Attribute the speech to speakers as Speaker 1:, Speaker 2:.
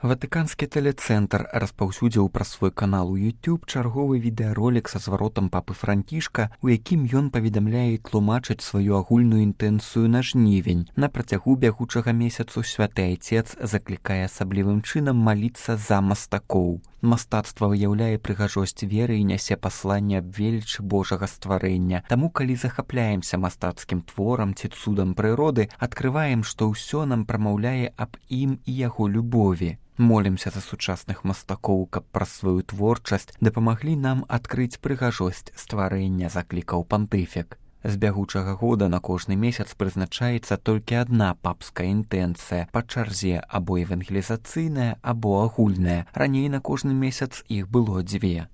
Speaker 1: Ватыканскі тэлецэнтр распаўсюдзіў праз свой канал у YouTube чарговы відэаролік са зваротам папы Францішка, у якім ён паведамляе і тлумачыць сваю агульную інтэнцыю на жнівень. На працягу бягучага месяцу святы айцец заклікае асаблівым чынам маліцца за мастакоў. Мастацтва выяўляе прыгажосць веры і нясе пасланне аб велічы Божага стварэння. Таму, калі захапляемся мастацкім творам ці цудам прыроды, адкрываем, што ўсё нам прамаўляе аб ім і яго любові. Молімся за сучасных мастакоў, каб праз сваю творчасць дапамаглі нам адкрыць прыгажосць стварэння, заклікаў пантыфік. З бягучага года на кожны месяц прызначаецца толькі адна папская інтэнцыя, па чарзе або евангелізацыйная, або агульная. Раней на кожны месяц іх было 2.